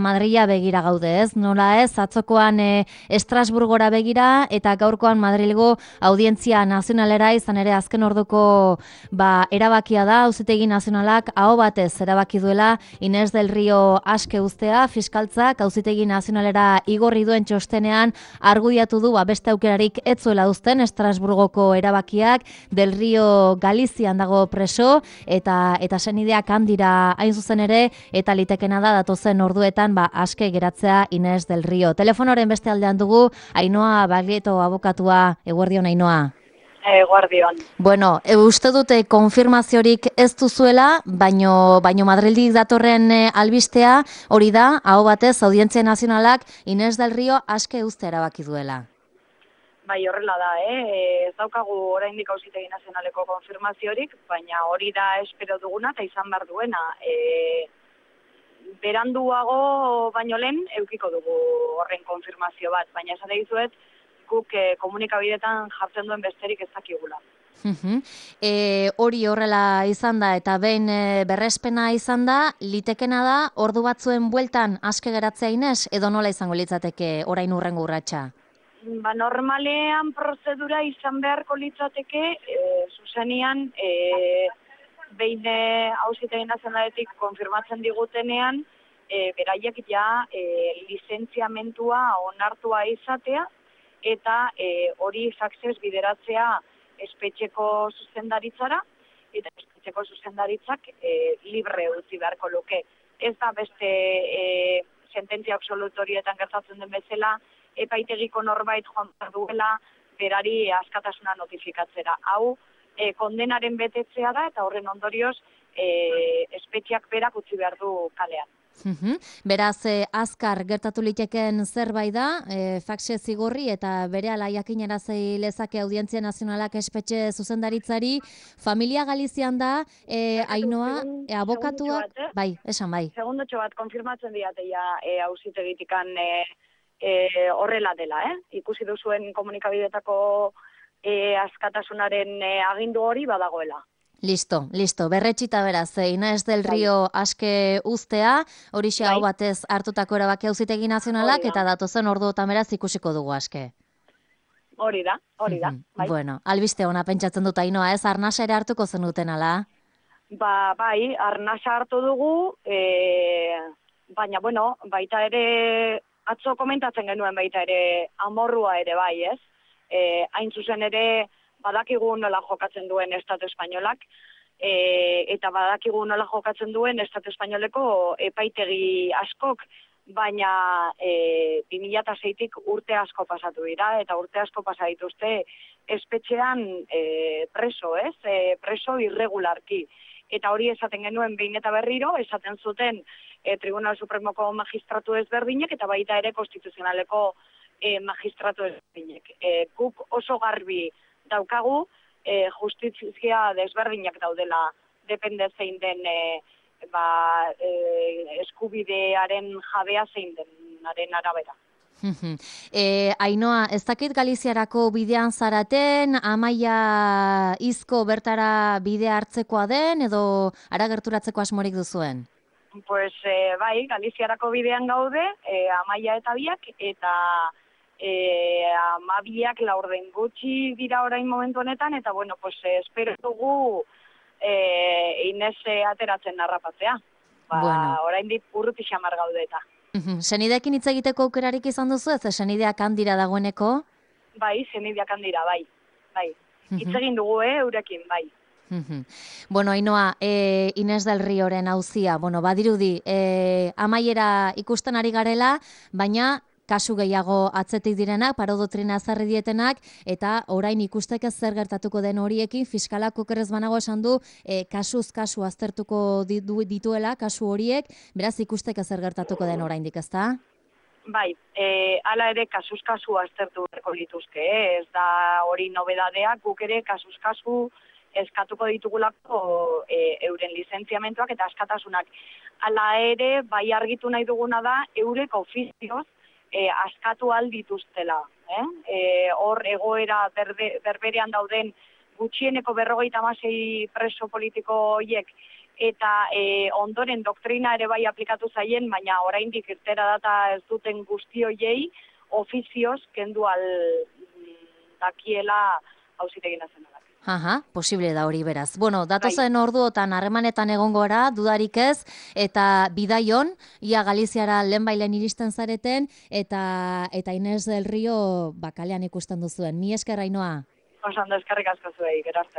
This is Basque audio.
Madrila begira gaude, ez? Nola ez, atzokoan Estrasburgora begira eta gaurkoan Madrilgo Audientzia Nazionalera izan ere azken orduko erabakia da, Auzitegi Nazionalak aho batez erabaki duela Inés del Río aske uztea, fiskaltzak Auzitegi Nazionalera igorri duen txostenean argudiatu du beste aukerarik ez zuela uzten Estrasburgoko erabakiak, del Río Galizian dago preso eta senideak handira hain zuzen ere eta litekena da datozen orduetan aske geratzea Inés del Río. Telefonoren beste aldean dugu Ainhoa Baglietto abokatua. Eguerdion, Ainhoa. Eguerdion. Bueno, uste dute konfirmaziorik ez duzuela, baino Madrildik datorren albistea hori da, aho batez Audientzia Nazionalak Inés del Río aske uztea erabaki duela. Bai, horrela da, ez daukagu oraindik Auzitegi Nazionaleko konfirmaziorik, baina hori da espero duguna eta izan behar duena. Beranduago baino lehen eukiko dugu horren konfirmazio bat, baina esate dizuet guk komunikabidetan jartzen duen besterik ez dakigula. Hori horrela izan da eta behin berrespena izan da, litekena da ordu batzuen bueltan aske geratzea Inés edo nola izango litzateke orain hurrengo urratsa? Normalean prozedura izan beharko litzateke zuzenean behin Auzitegi Nazionaletik konfirmatzen digutenean, beraiek ja lizentziamentua onartua izatea eta hori faxez bideratzea espetxeko zuzendaritzara eta espetxeko zuzendaritzak libre utzi beharko luke. Ez da beste sententzia absolutorietan gertatzen den bezala, epaitegiko norbait joan behar duela berari askatasuna notifikatzera. Hau, kondenaren betetzea da eta horren ondorioz espetxeak berak utzi behar du kalean. Beraz, azkar gertatu litekeen zerbait da, faxe zigorri eta berehala jakinarazei lezake Audientzia Nazionalak espetxe zuzendaritzari. Familia Galizian da, Ainhoa, abokatua... Bai, esan bai. Segundotxo bat, konfirmatzen diateia auzitegitikan horrela dela, Ikusi duzuen komunikabidetako askatasunaren agindu hori badagoela. Listo. Berretxita beraz, Inés del Río aske uztea, horixe hau batez hartutako erabaki Auzitegi Nazionalak eta datozen orduotan beraz ikusiko dugu aske. Hori da. Bai. Bueno, albiste ona pentsatzen dut Ainhoa, ez arnasa ere hartuko zenuten ala? Bai, arnasa hartu dugu, baina baita ere atzo komentatzen genuen baita ere amorrua ere bai, ez? Hain zuzen ere badakigu nola jokatzen duen Estatu Espainolak, eta badakigu nola jokatzen duen Estatu Espainoleko epaitegi askok, baina 2006tik urte asko pasatu dira, eta urte asko pasa dituzte espetxean preso, ez? Preso irregularki. Eta hori esaten genuen behin eta berriro, esaten zuten Tribunal Supremoko magistratu ezberdinek, eta baita ere konstituzionaleko magistratu ezberdinek. Guk oso garbi daukagu, justizia desberdinak daudela, depende zein den eskubidearen jabea zein denaren arabera. Ainhoa, ez dakit Galiziarako bidean zaraten, Amaia Izko bertara bidea hartzekoa den, edo ara gerturatzeko asmorik duzuen? Pues bai, Galiziarako bidean gaude, Amaia eta biak, eta amabiak laurden gutxi dira orain momentu honetan, eta espero dugu Inés ateratzen narrapatzea. Orain dit urruti xamar gaude eta. Senideekin hitz egiteko aukerarik izan duzu, ez senideak handira dagoeneko? Bai, senideak handira, bai. Hitz egin dugu, eurekin, bai. Bueno, Ainhoa, Inés del Rioren auzia, badirudi, amaiera ikusten ari garela, baina kasu gehiago atzetik direnak, parodotrina ezarri dietenak, eta orain ikusteke zer gertatuko den horiekin, fiskalak okerrez banago esan du, kasuz kasu aztertuko dituela, kasu horiek, beraz ikusteke zer gertatuko den oraindik, ezta? Bai, hala ere kasuz kasu aztertu berko lituzke, ez da hori nobedadeak, guk ere kasuz kasu eskatuko ditugulako euren lizentziamentuak eta askatasunak. Hala ere, bai argitu nahi duguna da, eurek ofizioz askatu aldituztela. Hor egoera berberean dauden gutxieneko 56 preso politiko horiek eta ondoren doktrina ere bai aplikatu zaien, baina oraindik irtera data ez duten guzti hoiei ofizioz kendu dakiela Auzitegi Nazionalak. Aha, posible da hori beraz. Bueno, datozen orduotan harremanetan egongo gara, dudarik ez, eta bidaion, ia Galiziara lehenbailen iristen zareten, eta Inés del Rio kalean ikusten duzuen. Mi esker, Ainhoa. Oso ondo, eskerrik asko zuei, gero arte.